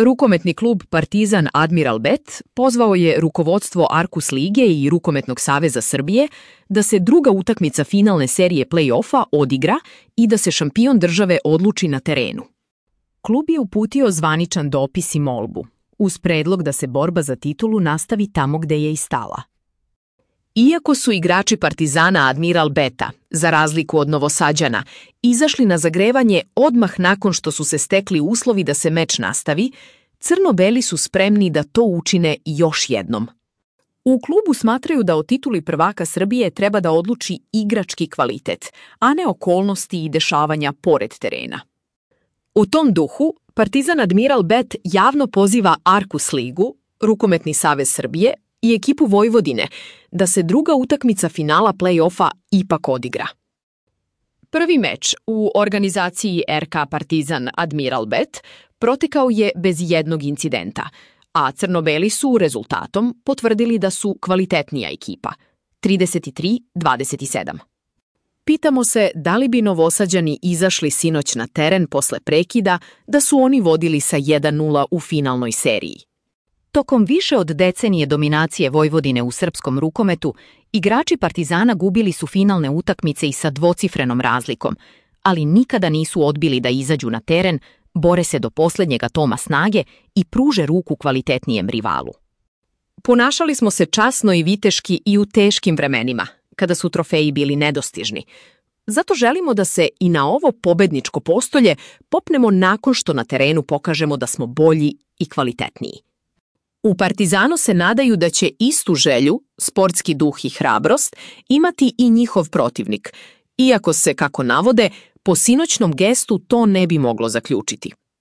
Rukometni klub Partizan Admiral Bet pozvao je rukovodstvo Arkus lige i Rukometnog saveza Srbije da se druga utakmica finalne serije play-offa odigra i da se šampion države odluči na terenu. Klub je uputio zvaničan dopis i molbu, uz predlog da se borba za titulu nastavi tamo gde je i stala. Iako su igrači Partizana Admiral Beta, za razliku od Novosađana, izašli na zagrevanje odmah nakon što su se stekli uslovi da se meč nastavi, crno-beli su spremni da to učine još jednom. U klubu smatraju da o tituli prvaka Srbije treba da odluči igrački kvalitet, a ne okolnosti i dešavanja pored terena. U tom duhu, Partizan Admiral Bet javno poziva Arkus ligu, Rukometni savez Srbije i ekipu Vojvodine da se druga utakmica finala play-offa ipak odigra. Prvi meč u organizaciji RK Partizan Admiral Bet protekao je bez jednog incidenta, a crno-beli su rezultatom potvrdili da su kvalitetnija ekipa, 33-27. Pitamo se da li bi Novosađani izašli sinoć na teren posle prekida da su oni vodili sa 1:0 u finalnoj seriji. Tokom više od decenije dominacije Vojvodine u srpskom rukometu, igrači Partizana gubili su finalne utakmice i sa dvocifrenom razlikom, ali nikada nisu odbili da izađu na teren, bore se do poslednjeg atoma snage i pruže ruku kvalitetnijem rivalu. Ponašali smo se časno i viteški i u teškim vremenima, kada su trofeji bili nedostižni. Zato želimo da se i na ovo pobedničko postolje popnemo nakon što na terenu pokažemo da smo bolji i kvalitetniji. U Partizanu se nadaju da će istu želju, sportski duh i hrabrost imati i njihov protivnik, iako se, kako navode, po sinoćnom gestu to ne bi moglo zaključiti.